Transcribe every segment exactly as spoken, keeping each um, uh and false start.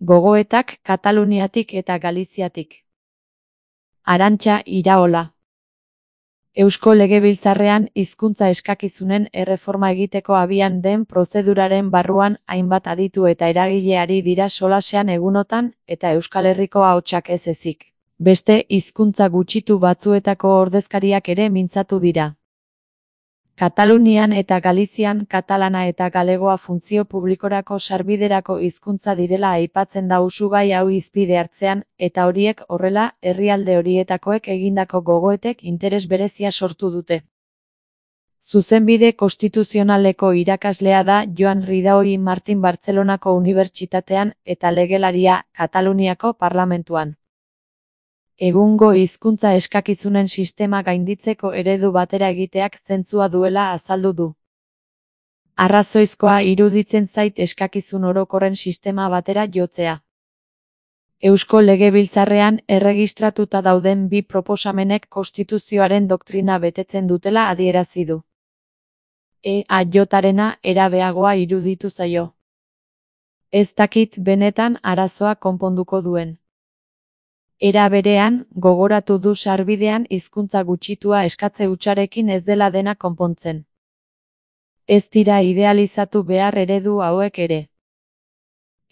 Gogoetak Kataluniatik eta Galiziatik. Arantxa Iraola. Eusko Legebiltzarrean hizkuntza eskakizunen erreforma egiteko abian den prozeduraren barruan hainbat aditu eta eragile ari dira solasean egunotan eta Euskal Herriko ahotsak ez ezik. Beste hizkuntza gutxitu batzuetako ordezkariak ere mintzatu dira. Katalunian eta Galizian katalana eta galegoa funtzio publikorako sarbiderako hizkuntza direla aipatzen da usugai hau hizpide hartzean, eta horiek horrela, herrialde horietakoek egindako gogoetek interes berezia sortu dute. Zuzenbide konstituzionaleko irakaslea da Joan Ridaui Martin Bartzelonako Unibertsitatean eta legelaria Kataluniako Parlamentuan. Egungo hizkuntza eskakizunen sistema gainditzeko eredu batera egiteak zentzua duela azaldu du. Arrazoizkoa iruditzen zait eskakizun orokorren sistema batera jotzea. Eusko Legebiltzarrean erregistratuta dauden bi proposamenek konstituzioaren doktrina betetzen dutela adierazi du. E A J-arena erabeagoa iruditu zaio. Ez dakit benetan arazoa konponduko duen. Era berean, gogoratu du sarbidean hizkuntza gutxitua eskatze hutsarekin ez dela dena konpontzen. Ez dira idealizatu behar eredu hauek ere.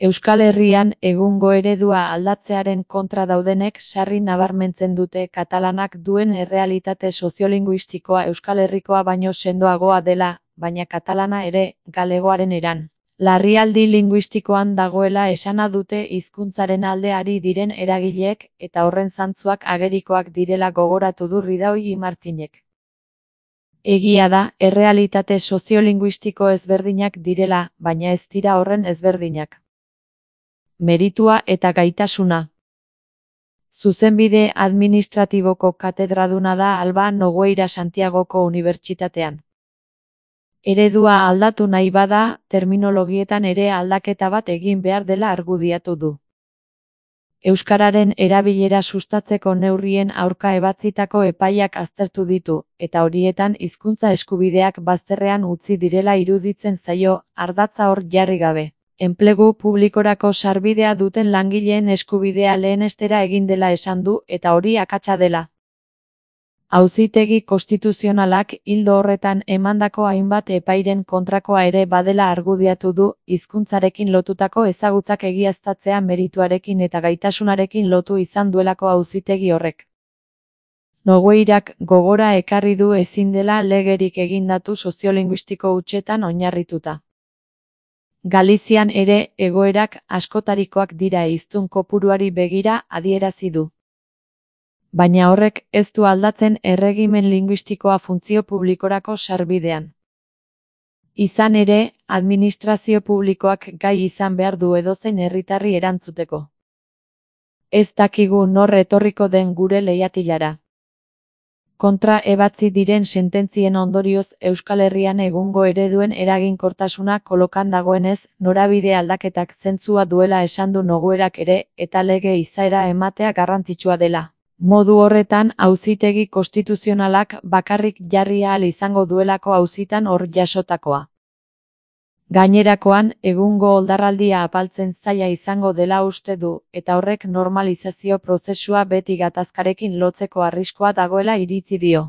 Euskal Herrian egungo eredua aldatzearen kontra daudenek sarri nabarmentzen dute katalanak duen errealitate soziolinguistikoa Euskal Herrikoa baino sendoagoa dela, baina katalana ere, galegoaren eran. Larrialdi linguistikoan dagoela esana dute hizkuntzaren alde ari diren eragileek eta horren zantzuak agerikoak direla gogoratu du Ridaui Martinek. Egia da, errealitate soziolinguistiko ezberdinak direla, baina ez dira horren ezberdinak. Meritua eta gaitasuna. Zuzenbide administratiboko katedraduna da Alba Nogueira Santiagoko Unibertsitatean. Eredua aldatu nahi bada, terminologietan ere aldaketa bat egin behar dela argudiatu du. Euskararen erabilera sustatzeko neurrien aurka ebatzitako epaiak aztertu ditu, eta horietan hizkuntza eskubideak bazterrean utzi direla iruditzen zaio, ardatza hor jarri gabe. Enplegu publikorako sarbidea duten langileen eskubidea lehenestera egin dela esan du eta hori akatsa dela. Auzitegi konstituzionalak ildo horretan emandako hainbat epairen kontrakoa ere badela argudiatu du, hizkuntzarekin lotutako ezagutzak egiaztatzea merituarekin eta gaitasunarekin lotu izan duelako auzitegi horrek. Nogueirak gogora ekarri du ezin dela legerik egindatu soziolinguistiko hutsetan oinarrituta. Galizian ere egoerak askotarikoak dira hiztun kopuruari begira adierazi du. Baina horrek ez du aldatzen erregimen linguistikoa funtzio publikorako sarbidean. Izan ere, administrazio publikoak gai izan behar du edozein herritarri erantzuteko. Ez dakigu nor etorriko den gure leihatilara. Kontra ebatzi diren sententzien ondorioz Euskal Herrian egungo ereduen eraginkortasuna kolokan dagoenez, norabide aldaketak zentzua duela esan du Noguerak ere, eta lege izaera ematea garrantzitsua dela. Modu horretan, auzitegi konstituzionalak bakarrik jarri ahal izango duelako auzitan hor jasotakoa. Gainerakoan, egungo oldarraldia apaltzen zaila izango dela uste du, eta horrek normalizazio prozesua beti gatazkarekin lotzeko arriskua dagoela iritzi dio.